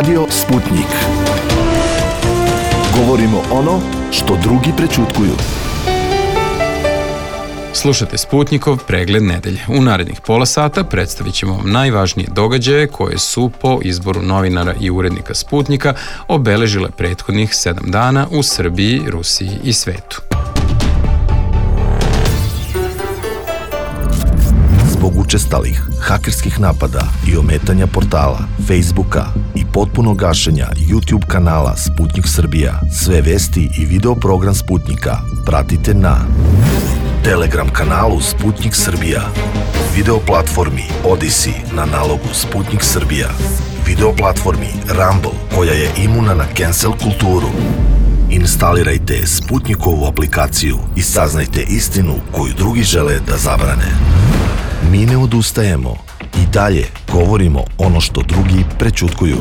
Radio Sputnik. Govorimo ono što drugi prećutkuju. Slušate Sputnikov pregled nedelje. U narednih pola sata predstavit ćemo vam najvažnije događaje koje su po izboru novinara i urednika Sputnika obeležile prethodnih 7 dana u Srbiji, Rusiji i svetu. Zbog učestalih hakerskih napada i ometanja portala, Facebooka i potpunog gašenja YouTube kanala Sputnik Srbija, sve vesti i video program Sputnika pratite na Telegram kanalu Sputnik Srbija, video platformi Odyssey na nalogu Sputnik Srbija, video platformi Rumble koja je imuna na cancel kulturu. Instalirajte Sputnikovu aplikaciju i saznajte istinu koju drugi žele da zabrane. Mi ne odustajemo i dalje govorimo ono što drugi prećutkuju.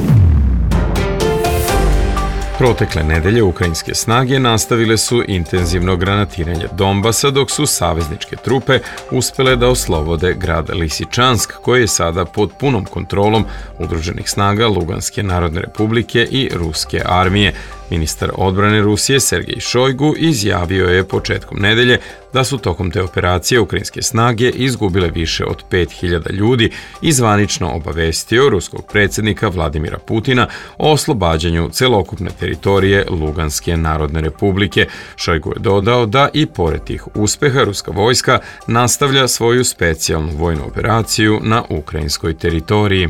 Protekle nedelje ukrajinske snage nastavile su intenzivno granatiranje Donbasa dok su savezničke trupe uspele da oslobode grad Lisičansk koji je sada pod punom kontrolom udruženih snaga Luganske narodne republike i ruske armije. Ministar odbrane Rusije Sergej Šojgu izjavio je početkom nedelje da su tokom te operacije ukrajinske snage izgubile više od 5000 ljudi i zvanično obavestio ruskog predsjednika Vladimira Putina o oslobađanju celokupne teritorije Luganske narodne republike. Šojgu je dodao da i pored tih uspeha ruska vojska nastavlja svoju specijalnu vojnu operaciju na ukrajinskoj teritoriji.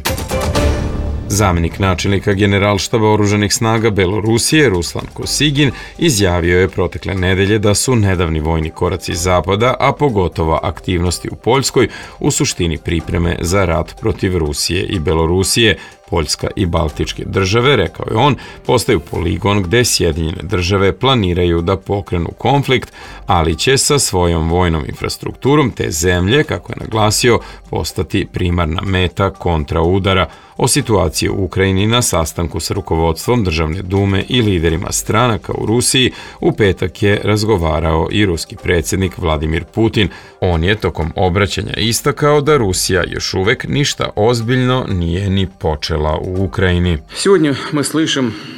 Zamjenik načelnika Generalštaba oružanih snaga Belorusije Ruslan Kosigin izjavio je protekle nedelje da su nedavni vojni koraci Zapada, a pogotovo aktivnosti u Poljskoj, u suštini pripreme za rat protiv Rusije i Belorusije. Poljska i Baltičke države, rekao je on, postaju poligon gde Sjedinjene države planiraju da pokrenu konflikt, ali će sa svojom vojnom infrastrukturom te zemlje, kako je naglasio, postati primarna meta kontraudara. O situaciji u Ukrajini na sastanku sa rukovodstvom Državne dume i liderima stranaka u Rusiji u petak je razgovarao i ruski predsjednik Vladimir Putin. On je tokom obraćanja istakao da Rusija još uvek ništa ozbiljno nije ni počela u Ukrajini.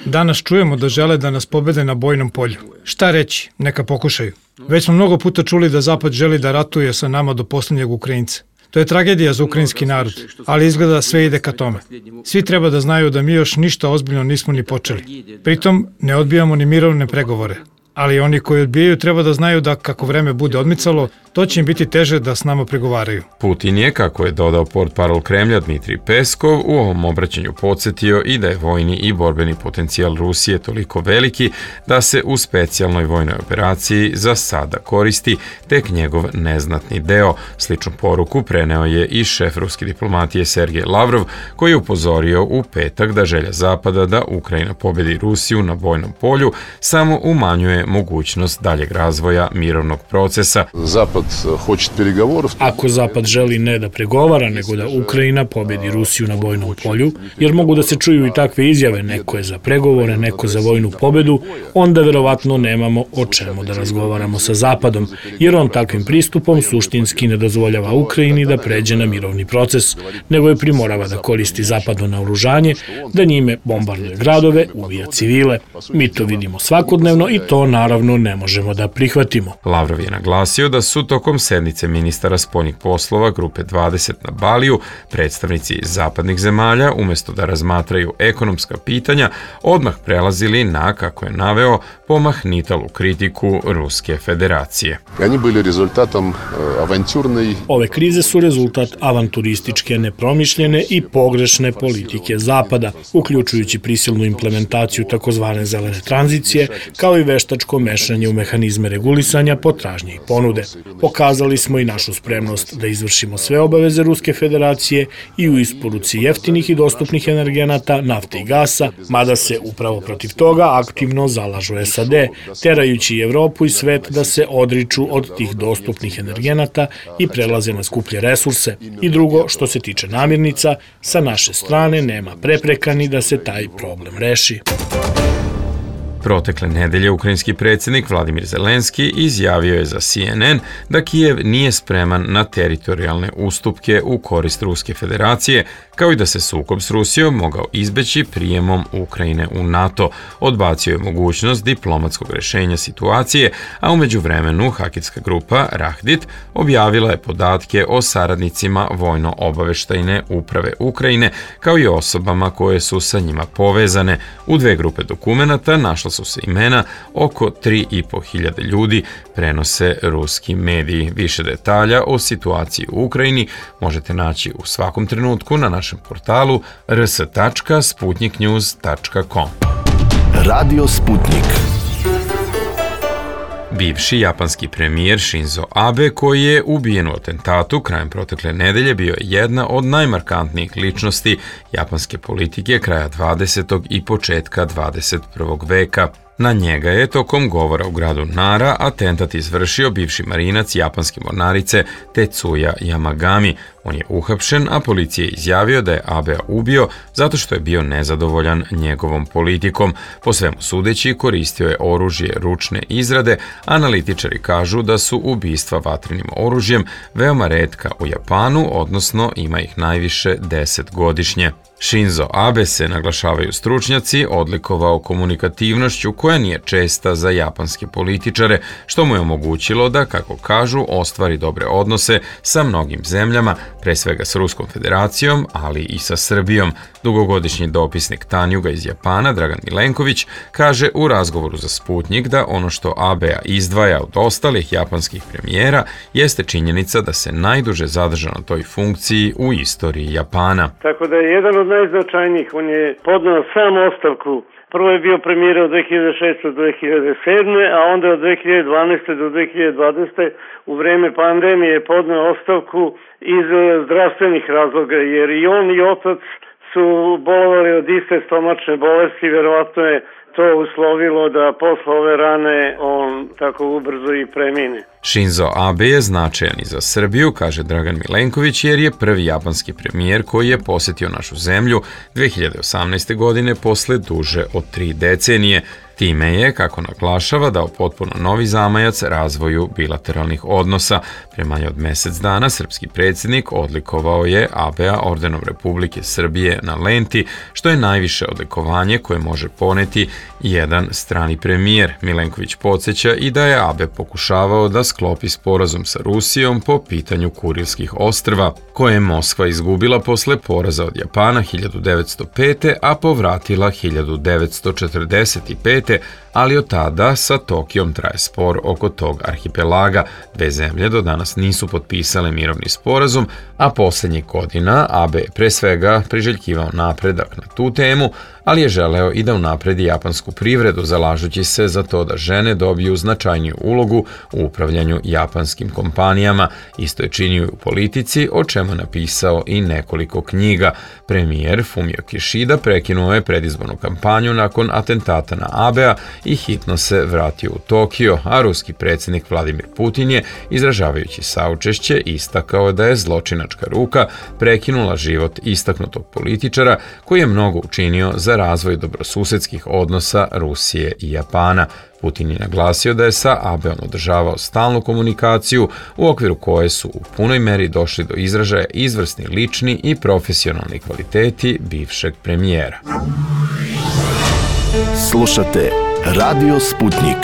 Danas čujemo da žele da nas pobede na bojnom polju. Šta reći? Neka pokušaju. Već smo mnogo puta čuli da Zapad želi da ratuje sa nama do posljednjeg Ukrajinca. To je tragedija za ukrajinski narod, ali izgleda sve ide ka tome. Svi treba da znaju da mi još ništa ozbiljno nismo ni počeli. Pritom ne odbijamo ni mirovne pregovore. Ali oni koji odbijaju treba da znaju da kako vreme bude odmicalo, to će im biti teže da s nama pregovaraju. Putin je, kako je dodao portparol Kremlja Dmitrij Peskov, u ovom obraćanju podsjetio i da je vojni i borbeni potencijal Rusije toliko veliki da se u specijalnoj vojnoj operaciji za sada koristi tek njegov neznatni deo. Sličnu poruku preneo je i šef ruske diplomatije Sergej Lavrov, koji je upozorio u petak da želja Zapada da Ukrajina pobedi Rusiju na bojnom polju samo umanjuje mogućnost daljeg razvoja mirovnog procesa. Ako Zapad želi ne da pregovara, nego da Ukrajina pobedi Rusiju na bojnom polju, jer mogu da se čuju i takve izjave, neko je za pregovore, neko za vojnu pobedu, onda verovatno nemamo o čemu da razgovaramo sa Zapadom, jer on takvim pristupom suštinski ne dozvoljava Ukrajini da pređe na mirovni proces, nego je primorava da koristi zapadno naoružanje, da njime bombarduje gradove, ubija civile. Mi to vidimo svakodnevno i to naravno ne možemo da prihvatimo. Lavrov je naglasio da su tokom sednice ministara spoljnih poslova Grupe 20 na Baliju predstavnici zapadnih zemalja, umjesto da razmatraju ekonomska pitanja, odmah prelazili na, kako je naveo, pomahnitalu kritiku Ruske federacije. Ove krize su rezultat avanturističke, nepromišljene i pogrešne politike Zapada, uključujući prisilnu implementaciju takozvane zelene tranzicije, kao i veštačko mešanje u mehanizme regulisanja potražnje i ponude. Pokazali smo i našu spremnost da izvršimo sve obaveze Ruske federacije i u isporuci jeftinih i dostupnih energenata, nafte i gasa, mada se upravo protiv toga aktivno zalažu SAD, terajući Evropu i svet da se odriču od tih dostupnih energenata i prelaze na skuplje resurse. I drugo, što se tiče namirnica, sa naše strane nema prepreka ni da se taj problem reši. Protekle nedelje ukrajinski predsjednik Vladimir Zelenski izjavio je za CNN da Kijev nije spreman na teritorijalne ustupke u korist Ruske federacije, kao i da se sukob s Rusijom mogao izbeći prijemom Ukrajine u NATO. Odbacio je mogućnost diplomatskog rješenja situacije, a u međuvremenu hakerska grupa Rahdit objavila je podatke o saradnicima vojno-obaveštajne uprave Ukrajine, kao i osobama koje su sa njima povezane. U dve grupe dokumenata našla su se imena oko 3.500 ljudi, prenose ruski mediji. Više detalja o situaciji u Ukrajini možete naći u svakom trenutku na našem portalu rs.sputniknews.com. Radio Sputnik. Bivši japanski premijer Shinzo Abe, koji je ubijen u atentatu krajem protekle nedelje, bio je jedna od najmarkantnijih ličnosti japanske politike kraja 20. i početka 21. veka. Na njega je tokom govora u gradu Nara atentat izvršio bivši marinac japanske mornarice Tetsuya Yamagami. On je uhapšen, a policija je izjavio da je Abea ubio zato što je bio nezadovoljan njegovom politikom. Po svemu sudeći, koristio je oružje ručne izrade. Analitičari kažu da su ubistva vatrenim oružjem veoma retka u Japanu, odnosno ima ih najviše 10 godišnje. Shinzo Abe se, naglašavaju stručnjaci, odlikovao komunikativnošću koja nije česta za japanske političare, što mu je omogućilo da, kako kažu, ostvari dobre odnose sa mnogim zemljama, pre svega s Ruskom federacijom, ali i sa Srbijom. Dugogodišnji dopisnik Tanjuga iz Japana, Dragan Milenković, kaže u razgovoru za Sputnik da ono što Abea izdvaja od ostalih japanskih premijera jeste činjenica da se najduže zadrža na toj funkciji u istoriji Japana. Tako da je jedan od najznačajnijih. On je podneo sam ostavku. Prvo je bio premijer od 2006. do 2007. a onda od 2012. do 2020. u vreme pandemije je podneo ostavku iz zdravstvenih razloga, jer i on i otac su bolovali od iste stomačne bolesti, verovatno je to uslovilo da posle ove rane on tako ubrzo i premine. Shinzo Abe je značajan i za Srbiju, kaže Dragan Milenković, jer je prvi japanski premijer koji je posjetio našu zemlju 2018. godine posle duže od 3 decenije. Time je, kako naglašava, dao potpuno novi zamajac razvoju bilateralnih odnosa. Pre manje od mjesec dana srpski predsjednik odlikovao je Abea ordenom Republike Srbije na lenti, što je najviše odlikovanje koje može poneti jedan strani premijer. Milenković podsjeća i da je Abe pokušavao da sklopi sporazum sa Rusijom po pitanju Kurilskih ostrva, koje je Moskva izgubila posle poraza od Japana 1905. a povratila 1945. ali od tada sa Tokijom traje spor oko tog arhipelaga. Dve zemlje do danas nisu potpisale mirovni sporazum, a posljednjih godina Abe je pre svega priželjkivao napredak na tu temu, ali je želeo i da unapredi japansku privredu, zalažući se za to da žene dobiju značajniju ulogu u upravljanju japanskim kompanijama. Isto je činio u politici, o čemu je napisao i nekoliko knjiga. Premijer Fumio Kishida prekinuo je predizbornu kampanju nakon atentata na Abea i hitno se vratio u Tokio, a ruski predsjednik Vladimir Putin je, izražavajući saučešće, istakao da je zločinačka ruka prekinula život istaknutog političara koji je mnogo učinio za razvoj dobrosusedskih odnosa Rusije i Japana. Putin je naglasio da je sa Abeom održavao stalnu komunikaciju u okviru koje su u punoj meri došli do izražaja izvrsni lični i profesionalni kvaliteti bivšeg premijera. Slušate Radio Sputnik.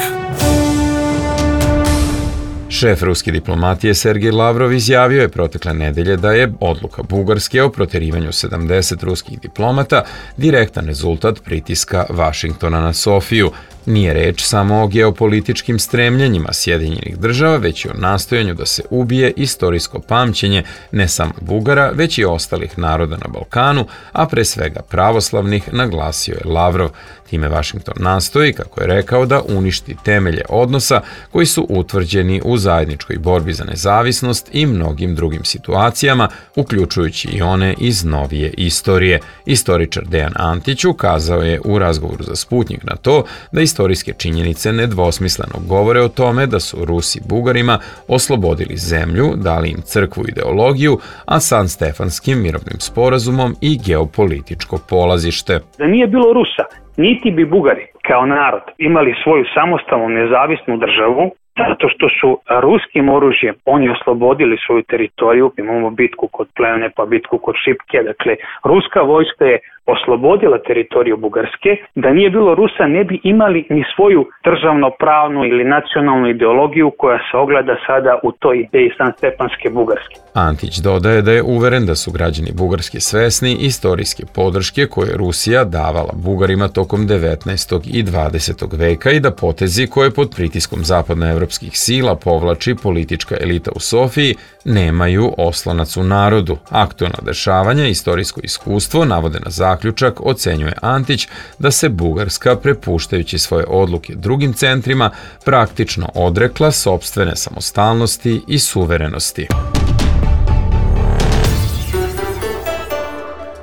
Šef ruske diplomatije Sergej Lavrov izjavio je protekle nedelje da je odluka Bugarske o proterivanju 70 ruskih diplomata direktan rezultat pritiska Vašingtona na Sofiju. Nije reč samo o geopolitičkim stremljenjima Sjedinjenih država, već i o nastojanju da se ubije istorijsko pamćenje ne samo Bugara, već i ostalih naroda na Balkanu, a pre svega pravoslavnih, naglasio je Lavrov. Time Vašington nastoji, kako je rekao, da uništi temelje odnosa koji su utvrđeni u zajedničkoj borbi za nezavisnost i mnogim drugim situacijama, uključujući i one iz novije istorije. Istoričar Dejan Antić ukazao je u razgovoru za Sputnik na to da istorijske činjenice nedvosmisleno govore o tome da su Rusi Bugarima oslobodili zemlju, dali im crkvu i ideologiju, a San Stefanskim mirovnim sporazumom i geopolitičko polazište. Da nije bilo Rusa, niti bi Bugari kao narod imali svoju samostalnu nezavisnu državu, zato što su ruskim oružjem oni oslobodili svoju teritoriju. Imamo bitku kod Plevne pa bitku kod Šipke. Dakle, ruska vojska je oslobodila teritoriju Bugarske. Da nije bilo Rusa ne bi imali ni svoju državno-pravnu ili nacionalnu ideologiju koja se ogleda sada u toj ideji Sanstepanske Bugarske. Antić dodaje da je uveren da su građani Bugarske svesni istorijske podrške koje je Rusija davala Bugarima tokom 19. i 20. veka i da potezi koje pod pritiskom zapadnoevropskih sila povlači politička elita u Sofiji nemaju oslonac u narodu. Aktuelna dešavanja i istorijsko iskustvo navode na zaključak, ocenjuje Antić, da se Bugarska, prepuštajući svoje odluke drugim centrima, praktično odrekla sopstvene samostalnosti i suverenosti.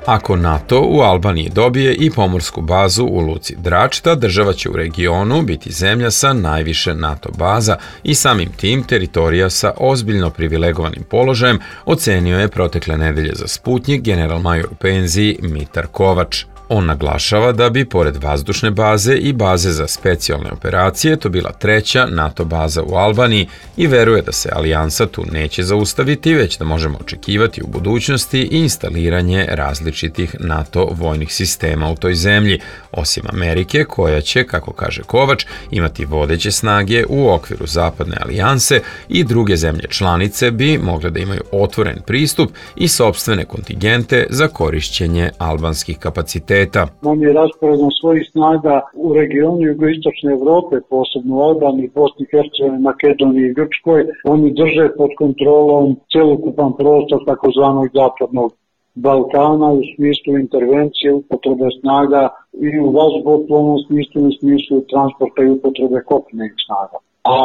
Ako NATO u Albaniji dobije i pomorsku bazu u luci Drač, ta država će u regionu biti zemlja sa najviše NATO baza i samim tim teritorija sa ozbiljno privilegovanim položajem, ocenio je protekle nedelje za Sputnjik general-major u penziji Mitar Kovač. On naglašava da bi, pored vazdušne baze i baze za specijalne operacije, to bila treća NATO baza u Albaniji i veruje da se alijansa tu neće zaustaviti, već da možemo očekivati u budućnosti i instaliranje različitih NATO vojnih sistema u toj zemlji, osim Amerike, koja će, kako kaže Kovač, imati vodeće snage u okviru zapadne alijanse i druge zemlje članice bi mogle da imaju otvoren pristup i sopstvene kontingente za korišćenje albanskih kapaciteta. Nam je rasporedom svojih snaga u regionu jugoistočne Evrope, posebno u Albaniji, Bosni i Hercegovini, Makedoniji i Grčkoj. Oni drže pod kontrolom celokupan prostor takozvanog zapadnog Balkana u smislu intervencije, upotrebe snaga i u vazduhoplovnom smislu i u smislu transporta i upotrebe kopnenih snaga. A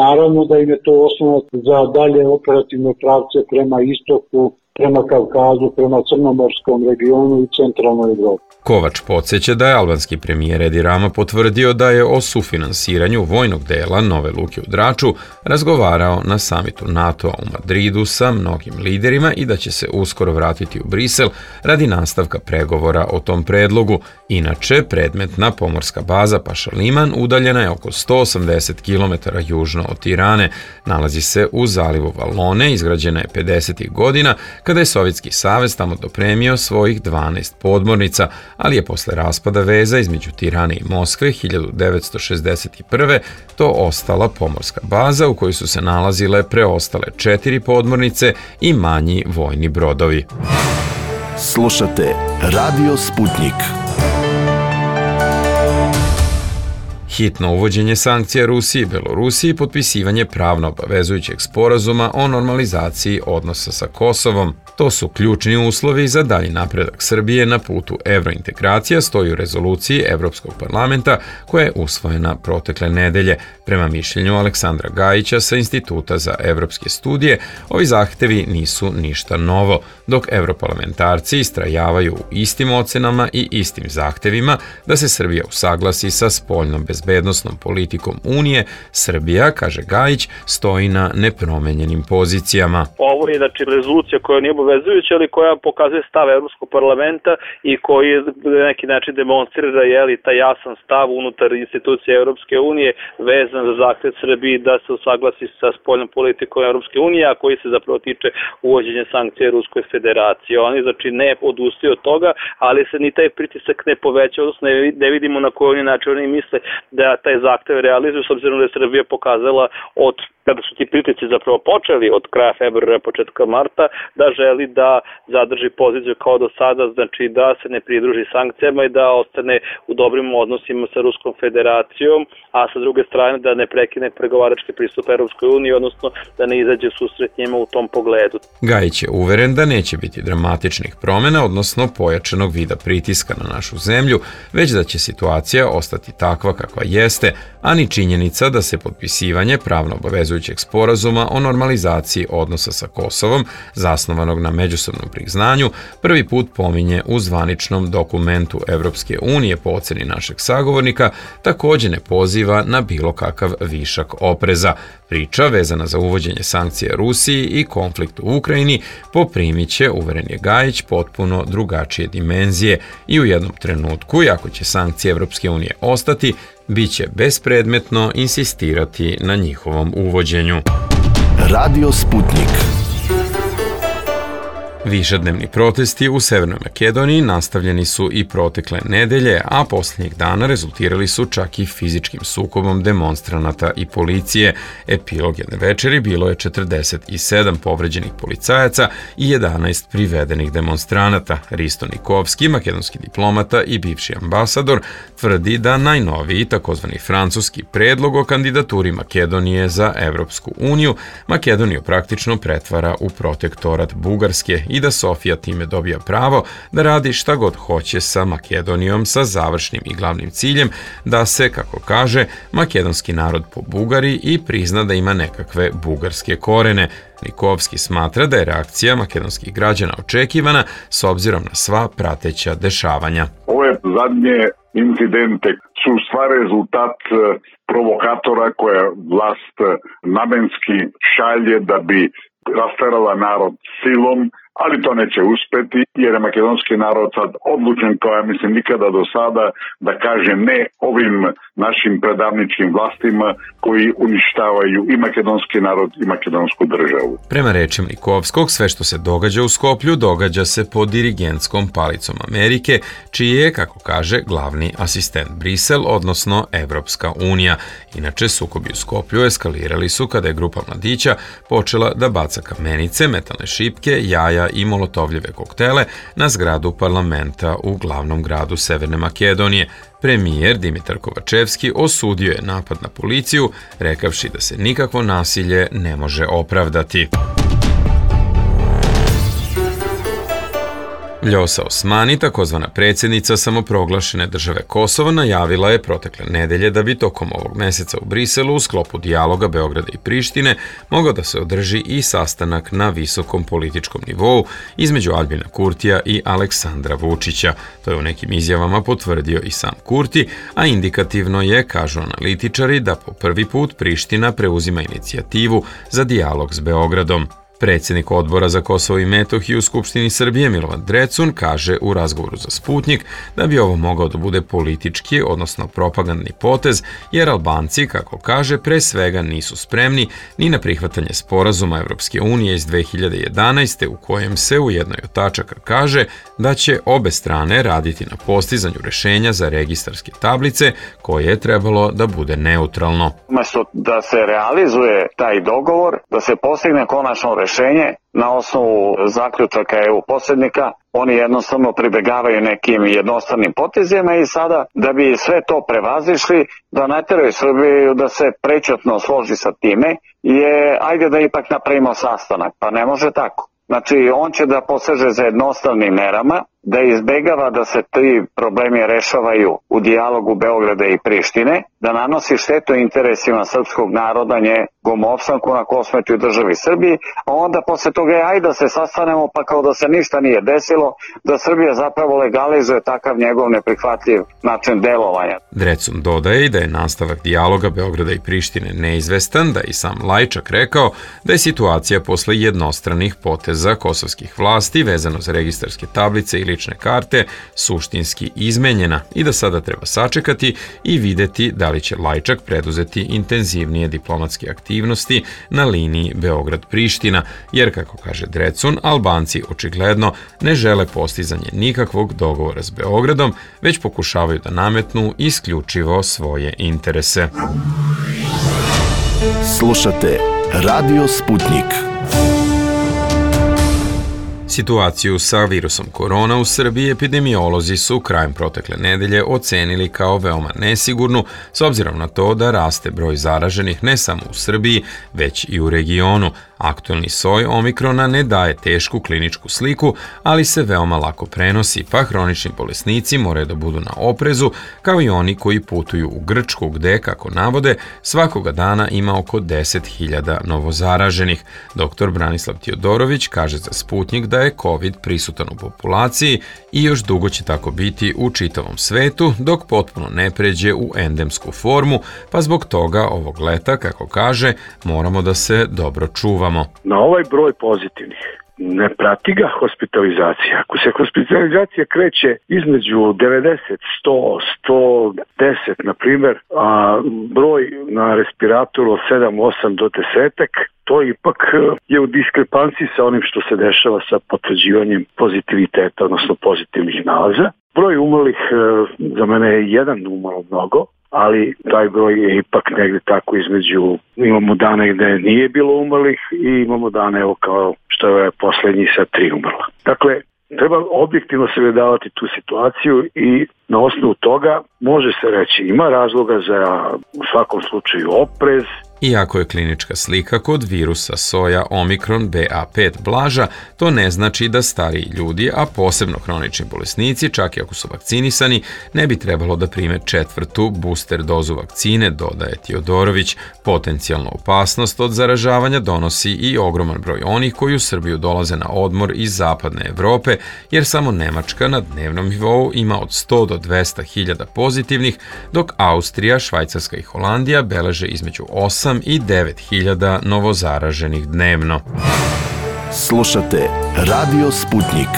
naravno da im je to osnovac za dalje operativne pravce prema istoku, prema Kavkazu, prema Crnomorskom regionu i centralnoj Evropi. Kovač podsjeća da je albanski premijer Edi Rama potvrdio da je o sufinansiranju vojnog dela nove luke u Draču razgovarao na samitu NATO-a u Madridu sa mnogim liderima i da će se uskoro vratiti u Brisel radi nastavka pregovora o tom predlogu. Inače, predmetna pomorska baza Paša Liman udaljena je oko 180 km južno od Tirane. Nalazi se u zalivu Valone, izgrađena je 50. godina, kada je Sovjetski savez tamo dopremio svojih 12 podmornica, ali je posle raspada veza između Tirane i Moskve 1961. to ostala pomorska baza u kojoj su se nalazile preostale 4 podmornice i manji vojni brodovi. Slušate Radio Sputnik. Hitno uvođenje sankcija Rusiji i Belorusiji i potpisivanje pravno obavezujućeg sporazuma o normalizaciji odnosa sa Kosovom. To su ključni uslovi za dalji napredak Srbije na putu evrointegracija, stoji u rezoluciji Evropskog parlamenta koja je usvojena protekle nedelje. Prema mišljenju Aleksandra Gajića sa Instituta za evropske studije, ovi zahtevi nisu ništa novo, dok evroparlamentarci istrajavaju u istim ocenama i istim zahtevima da se Srbija usaglasi sa spoljnom bezbednosnom politikom Unije. Srbija, kaže Gajić, stoji na nepromenjenim pozicijama. Ovo je rezolucija koja nije obavezujuća, ali koja pokazuje stav Evropskog parlamenta i koji na neki način demonstrira taj jasan stav unutar institucije Evropske unije vezan za zahtev Srbiji da se usaglasi sa spoljnom politikom Evropske unije, a koji se zapravo tiče uvođenja sankcija Ruskoj federaciji. Oni ne odustaju od toga, ali se ni taj pritisak ne poveća, odnosno ne vidimo na koji način oni misle da taj zahtev realizuju, s obzirom da je Srbija pokazala od kada su ti pritisci zapravo počeli od kraja februara, početka marta, da želi da zadrži poziciju kao do sada, znači da se ne pridruži sankcijama i da ostane u dobrim odnosima sa Ruskom federacijom, a sa druge strane da ne prekine pregovarački pristup Evropskoj uniji, odnosno da ne izađe susret njima u tom pogledu. Gajić je uveren da neće biti dramatičnih promjena, odnosno pojačanog vida pritiska na našu zemlju, već da će situacija ostati takva kakva jeste, a ni činjenica da se potpisivanje pravno obavezuje obavezujućeg sporazuma o normalizaciji odnosa sa Kosovom, zasnovanog na međusobnom priznanju, prvi put pominje u zvaničnom dokumentu Evropske unije po oceni našeg sagovornika, takođe ne poziva na bilo kakav višak opreza. Priča vezana za uvođenje sankcija Rusiji i konflikt u Ukrajini poprimiće, uveren je Gajić, potpuno drugačije dimenzije i u jednom trenutku, ako će sankcije Evropske unije ostati, biće bespredmetno insistirati na njihovom uvođenju. Radio Sputnik. Višednevni protesti u Severnoj Makedoniji nastavljeni su i protekle nedelje, a posljednjih dana rezultirali su čak i fizičkim sukobom demonstranata i policije. Epilog jedne večeri bilo je 47 povređenih policajaca i 11 privedenih demonstranata. Risto Nikovski, makedonski diplomata i bivši ambasador, tvrdi da najnoviji takozvani francuski predlog o kandidaturi Makedonije za Evropsku uniju Makedoniju praktično pretvara u protektorat Bugarske i da Sofija time dobija pravo da radi šta god hoće sa Makedonijom sa završnim i glavnim ciljem da se, kako kaže, makedonski narod pobugari i prizna da ima nekakve bugarske korene. Nikovski smatra da je reakcija makedonskih građana očekivana s obzirom na sva prateća dešavanja. Ove zadnje incidente su stvar rezultat provokatora koje vlast namenski šalje da bi rasterala narod silom, ali to neće uspeti jer je makedonski narod sad odlučen kao ja mislim nikada do sada da kaže ne ovim našim predavničkim vlastima koji uništavaju i makedonski narod i makedonsku državu. Prema rečima Nikovskog, sve što se događa u Skoplju događa se pod dirigentskom palicom Amerike, čiji je, kako kaže, glavni asistent Brisel, odnosno Evropska unija. Inače, sukobi u Skoplju eskalirali su kada je grupa mladića počela da baca kamenice, metalne šipke, jaja i molotovljeve koktele na zgradu parlamenta u glavnom gradu Severne Makedonije. Premijer Dimitar Kovačevski osudio je napad na policiju, rekavši da se nikakvo nasilje ne može opravdati. Ljosa Osmani, takozvana predsjednica samoproglašene države Kosovo, najavila je protekle nedelje da bi tokom ovog meseca u Briselu u sklopu dijaloga Beograda i Prištine mogao da se održi i sastanak na visokom političkom nivou između Aljbina Kurtija i Aleksandra Vučića. To je u nekim izjavama potvrdio i sam Kurti, a indikativno je, kažu analitičari, da po prvi put Priština preuzima inicijativu za dijalog s Beogradom. Predsjednik odbora za Kosovo i Metohiju u Skupštini Srbije Milovan Drecun kaže u razgovoru za Sputnik da bi ovo mogao da bude politički, odnosno propagandni potez, jer Albanci, kako kaže, pre svega nisu spremni ni na prihvatanje sporazuma Evropske unije iz 2011. u kojem se u jednoj od tačaka kaže da će obe strane raditi na postizanju rešenja za registarske tablice koje je trebalo da bude neutralno. Umesto da se realizuje taj dogovor, da se postigne konačno rešenje na osnovu zaključaka EU posrednika, oni jednostavno pribegavaju nekim jednostavnim potezima i sada da bi sve to prevazišli, da nateraju Srbiju da se prečutno složi sa time, je ajde da ipak napravimo sastanak, pa ne može tako. Znači, on će da poseže za jednostavnim merama, da izbegava da se ti problemi rešavaju u dijalogu Beograda i Prištine, da nanosi štetu interesima srpskog naroda, njegovom opstanku na Kosmetu i državi Srbiji, a onda posle toga ajde da se sastanemo pa kao da se ništa nije desilo, da Srbija zapravo legalizuje takav njegov neprihvatljiv način delovanja. Drecun dodaje da je nastavak dijaloga Beograda i Prištine neizvestan, da je i sam Lajčak rekao da je situacija posle jednostranih poteza kosovskih vlasti vezano za registarske tablice i lične karte suštinski izmenjena i da sada treba sačekati i videti da li će Lajčak preduzeti intenzivnije diplomatske aktivnosti na liniji Beograd-Priština, jer, kako kaže Drecun, Albanci očigledno ne žele postizanje nikakvog dogovora s Beogradom, već pokušavaju da nametnu isključivo svoje interese. Slušate Radio Sputnik. Situaciju sa virusom korona u Srbiji epidemiolozi su krajem protekle nedelje ocenili kao veoma nesigurnu, s obzirom na to da raste broj zaraženih ne samo u Srbiji, već i u regionu. Aktuelni soj omikrona ne daje tešku kliničku sliku, ali se veoma lako prenosi, pa hronični bolesnici moraju da budu na oprezu, kao i oni koji putuju u Grčku, gde, kako navode, svakoga dana ima oko 10.000 novozaraženih. Dr. Branislav Tijodorović kaže za Sputnjik da je COVID prisutan u populaciji i još dugo će tako biti u čitavom svetu, dok potpuno ne pređe u endemsku formu, pa zbog toga ovog leta, kako kaže, moramo da se dobro čuvamo. Na ovaj broj pozitivnih ne prati ga hospitalizacija. Ako se hospitalizacija kreće između 90, 100, 110, na primjer, a broj na respiratoru od 7, 8 do 10, to ipak je u diskrepanciji sa onim što se dešava sa potvrđivanjem pozitiviteta, odnosno pozitivnih nalaza. Broj umrlih za mene je jedan umrlo mnogo, ali taj broj je ipak negde tako između, imamo dane gde nije bilo umrlih i imamo dane evo kao što je poslednji sa 3 umrla. Dakle, treba objektivno sagledavati tu situaciju i na osnovu toga može se reći ima razloga za u svakom slučaju oprez. Iako je klinička slika kod virusa soja Omikron BA5 blaža, to ne znači da stariji ljudi, a posebno hronični bolesnici, čak i ako su vakcinisani, ne bi trebalo da prime 4. booster dozu vakcine, dodaje Tijodorović. Potencijalnu opasnost od zaražavanja donosi i ogroman broj onih koji u Srbiju dolaze na odmor iz zapadne Evrope, jer samo Nemačka na dnevnom nivou ima od 100 do 200.000 pozitivnih, dok Austrija, Švajcarska i Holandija beleže između 8 i 9.000 novozaraženih dnevno. Slušate Radio Sputnjik.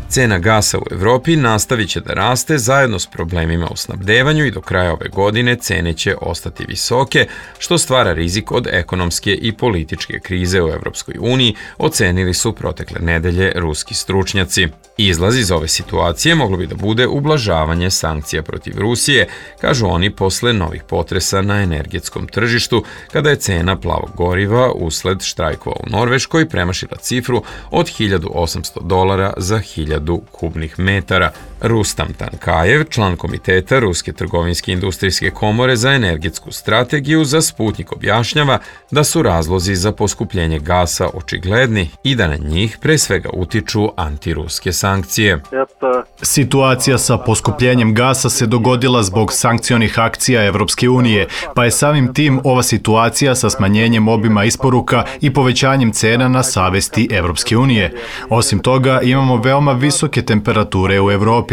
Cena gasa u Evropi nastavit će da raste zajedno s problemima u snabdevanju i do kraja ove godine cene će ostati visoke, što stvara rizik od ekonomske i političke krize u Evropskoj uniji, ocenili su protekle nedelje ruski stručnjaci. Izlaz iz ove situacije moglo bi da bude ublažavanje sankcija protiv Rusije, kažu oni posle novih potresa na energetskom tržištu, kada je cena plavog goriva usled štrajkova u Norveškoj premašila cifru od $1.800 za 1000 kubnih metara. Rustam Tankajev, član komiteta Ruske trgovinske industrijske komore za energetsku strategiju, za Sputnjik objašnjava da su razlozi za poskupljenje gasa očigledni i da na njih pre svega utiču antiruske sankcije. Situacija sa poskupljenjem gasa se dogodila zbog sankcionih akcija Evropske unije, pa je samim tim ova situacija sa smanjenjem obima isporuka i povećanjem cena na savesti Evropske unije. Osim toga, imamo veoma visoke temperature u Evropi.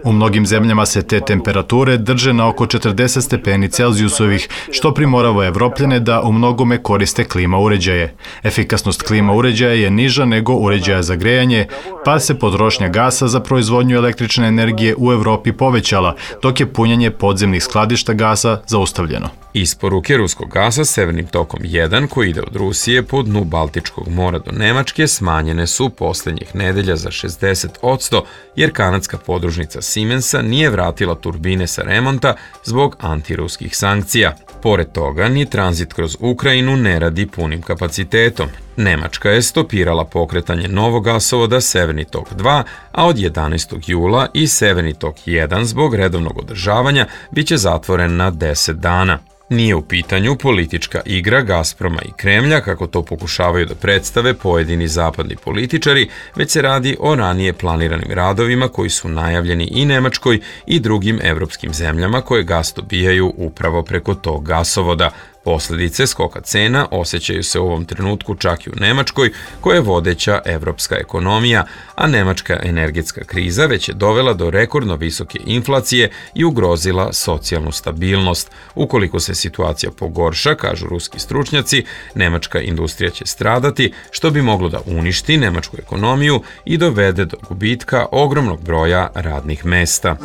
U mnogim zemljama se te temperature drže na oko 40 stepeni Celzijusovih, što primorava Evropljane da u mnogome koriste klima uređaje. Efikasnost klima uređaja je niža nego uređaja za grejanje, pa se potrošnja gasa za proizvodnju električne energije u Evropi povećala, dok je punjenje podzemnih skladišta gasa zaustavljeno. Isporuke ruskog gasa Severnim tokom 1, koji ide od Rusije po dnu Baltičkog mora do Nemačke, smanjene su poslednjih nedelja za 60%, jer kanadska podružnica Siemensa nije vratila turbine sa remonta zbog antiruskih sankcija. Pored toga, ni tranzit kroz Ukrajinu ne radi punim kapacitetom. Nemačka je stopirala pokretanje novog gasovoda Severni tok 2, a od 11. jula i Severni tok 1 zbog redovnog održavanja biće zatvoren na 10 dana. Nije u pitanju politička igra Gazproma i Kremlja, kako to pokušavaju da predstave pojedini zapadni političari, već se radi o ranije planiranim radovima koji su najavljeni i Nemačkoj i drugim evropskim zemljama koje gas dobijaju upravo preko tog gasovoda. Posledice skoka cena osjećaju se u ovom trenutku čak i u Nemačkoj, koja je vodeća evropska ekonomija, a nemačka energetska kriza već je dovela do rekordno visoke inflacije i ugrozila socijalnu stabilnost. Ukoliko se situacija pogorša, kažu ruski stručnjaci, nemačka industrija će stradati, što bi moglo da uništi nemačku ekonomiju i dovede do gubitka ogromnog broja radnih mesta.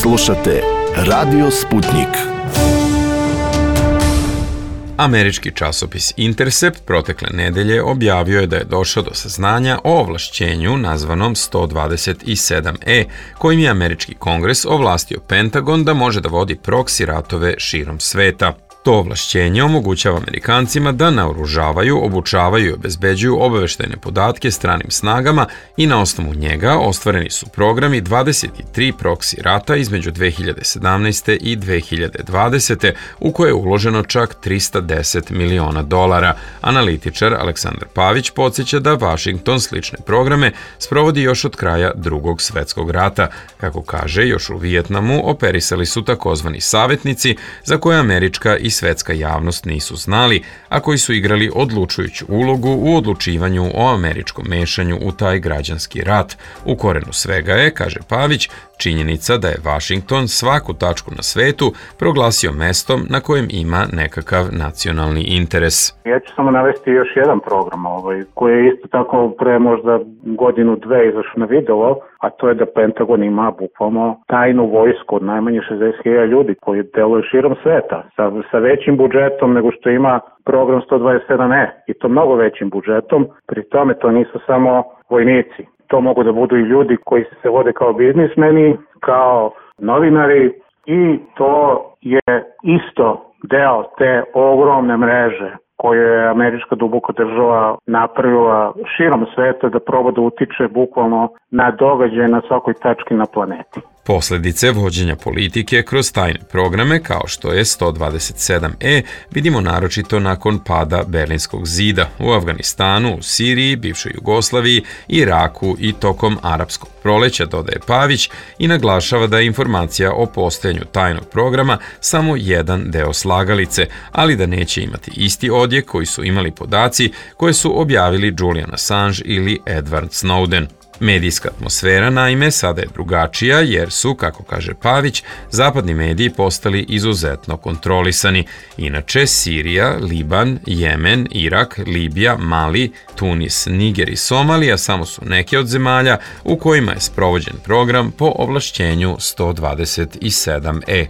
Slušate Radio Sputnjik. Američki časopis Intercept protekle nedelje objavio je da je došao do saznanja o ovlašćenju nazvanom 127E, kojim je američki kongres ovlastio Pentagon da može da vodi proksi ratove širom sveta. To ovlašćenje omogućava Amerikancima da naoružavaju, obučavaju i obezbeđuju obaveštajne podatke stranim snagama i na osnovu njega ostvareni su programi 23 proksi rata između 2017. i 2020. u koje je uloženo čak $310 miliona. Analitičar Aleksandar Pavić podsjeća da Vašington slične programe sprovodi još od kraja Drugog svjetskog rata. Kako kaže, još u Vijetnamu operisali su takozvani savjetnici za koje američka i svetska javnost nisu znali, a koji su igrali odlučujuću ulogu u odlučivanju o američkom mešanju u taj građanski rat. U korenu svega je, kaže Pavić, činjenica da je Vašington svaku tačku na svetu proglasio mestom na kojem ima nekakav nacionalni interes. Ja ću samo navesti još jedan program koji je isto tako pre možda godinu, dve izašao na video, a to je da Pentagon ima bukvalno tajnu vojsku od najmanje 60.000 ljudi koji deluju širom sveta sa većim budžetom nego što ima program 127E i to mnogo većim budžetom. Pri tome to nisu samo vojnici. To mogu da budu i ljudi koji se vode kao biznismeni, kao novinari i to je isto deo te ogromne mreže koju je američka duboka država napravila širom sveta da proba da utiče bukvalno na događaje na svakoj tački na planeti. Posljedice vođenja politike kroz tajne programe kao što je 127E vidimo naročito nakon pada Berlinskog zida u Afganistanu, u Siriji, bivšoj Jugoslaviji, Iraku i tokom Arapskog proleća, dodaje Pavić i naglašava da je informacija o postojanju tajnog programa samo jedan deo slagalice, ali da neće imati isti odjek koji su imali podaci koje su objavili Julian Assange ili Edward Snowden. Medijska atmosfera, naime, sada je drugačija jer su, kako kaže Pavić, zapadni mediji postali izuzetno kontrolisani. Inače, Sirija, Liban, Jemen, Irak, Libija, Mali, Tunis, Niger i Somalija samo su neke od zemalja u kojima je sprovođen program po ovlašćenju 127E.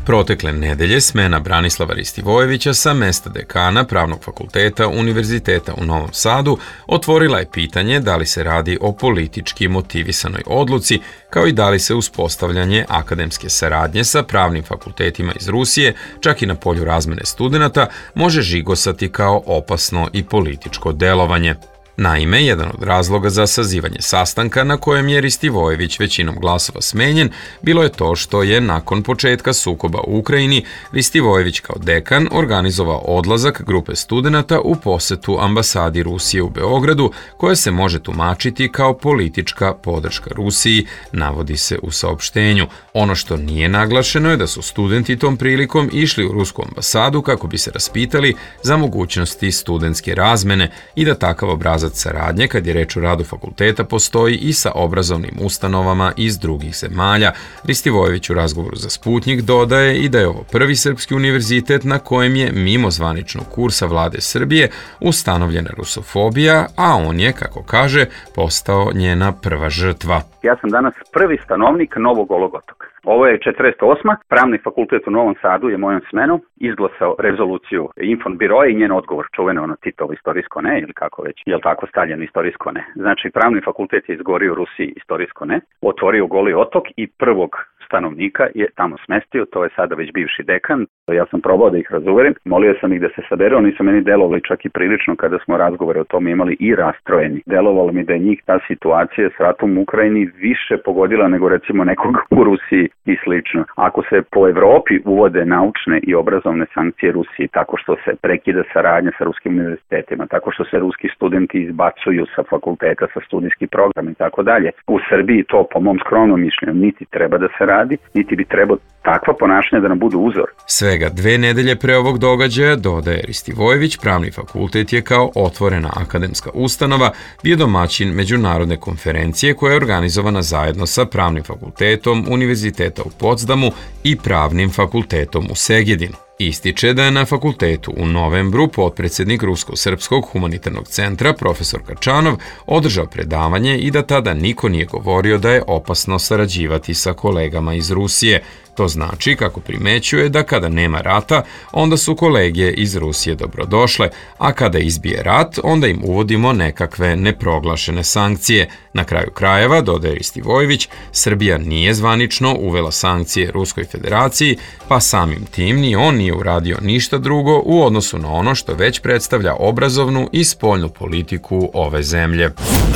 Protekle nedelje smena Branislava Ristivojevića sa mesta dekana Pravnog fakulteta Univerziteta u Novom Sadu otvorila je pitanje da li se radi o politički motivisanoj odluci, kao i da li se uspostavljanje akademske saradnje sa pravnim fakultetima iz Rusije, čak i na polju razmene studenata, može žigosati kao opasno i političko delovanje. Naime, jedan od razloga za sazivanje sastanka na kojem je Ristivojević većinom glasova smenjen bilo je to što je nakon početka sukoba u Ukrajini Ristivojević kao dekan organizovao odlazak grupe studenata u posetu ambasadi Rusije u Beogradu, koja se može tumačiti kao politička podrška Rusiji, navodi se u saopštenju. Ono što nije naglašeno je da su studenti tom prilikom išli u rusku ambasadu kako bi se raspitali za mogućnosti studentske razmene i da takav obrazac saradnje, kad je reč o radu fakulteta, postoji i sa obrazovnim ustanovama iz drugih zemalja. Ristivojević u razgovoru za Sputnjik dodaje i da je ovo prvi srpski univerzitet na kojem je mimo zvaničnog kursa vlade Srbije ustanovljena rusofobija, a on je, kako kaže, postao njena prva žrtva. Ja sam danas prvi stanovnik Novog Golog otoka. Ovo je 48. Pravni fakultet u Novom Sadu je mojom smenom izglasao rezoluciju Infonbiroa i njen odgovor, čuveno ono Titovo istorijsko ne, ili kako već, je li tako stavljeno istorijsko ne. Znači, pravni fakultet je izgorio u Rusiji istorijsko ne, otvorio Goli otok i prvog stanovnika je tamo smestio, to je sada već bivši dekan. Ja sam probao da ih razuverim, molio sam ih da se sabere, oni su meni delovali čak i prilično kada smo razgovore o tome imali i rastrojeni. Delovalo mi da je njih ta situacija s ratom u Ukrajini više pogodila nego recimo nekog u Rusiji i slično. Ako se po Evropi uvode naučne i obrazovne sankcije Rusiji tako što se prekida saradnja sa ruskim univerzitetima, tako što se ruski studenti izbacuju sa fakulteta, sa studijski program i tako dalje, u Srbiji to po mom skromnom mišljenju niti treba da se radi, niti bi trebao takva ponašanja da nam budu uzor. Svega 2 nedelje pre ovog događaja, dodaje Ristivojević, Pravni fakultet je kao otvorena akademska ustanova bio domaćin međunarodne konferencije koja je organizovana zajedno sa Pravnim fakultetom Univerziteta u Potsdamu i Pravnim fakultetom u Segedinu. Ističe da je na fakultetu u novembru potpredsjednik Rusko-srpskog humanitarnog centra profesor Kačanov održao predavanje i da tada niko nije govorio da je opasno sarađivati sa kolegama iz Rusije. To znači, kako primećuje, da kada nema rata, onda su kolege iz Rusije dobrodošle, a kada izbije rat, onda im uvodimo nekakve neproglašene sankcije. Na kraju krajeva, dodaje Ristivojević, Srbija nije zvanično uvela sankcije Ruskoj federaciji, pa samim tim ni on nije uradio ništa drugo u odnosu na ono što već predstavlja obrazovnu i spoljnu politiku ove zemlje.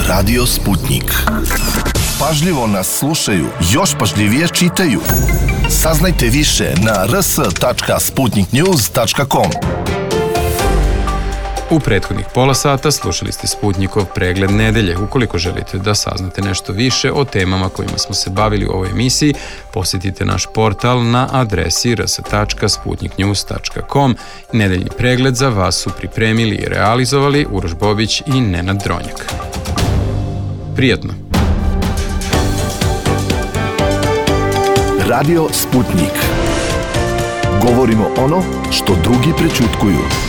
Radio Sputnik. Pažljivo nas slušaju, još pažljivije čitaju. Saznajte više na rs.sputniknews.com. U prethodnih pola sata slušali ste Sputnikov pregled nedelje. Ukoliko želite da saznate nešto više o temama kojima smo se bavili u ovoj emisiji, posjetite naš portal na adresi rs.sputniknews.com. Nedeljni pregled za vas su pripremili i realizovali Uroš Bobić i Nenad Dronjak. Prijatno! Radio Sputnik. Govorimo ono što drugi prećutkuju.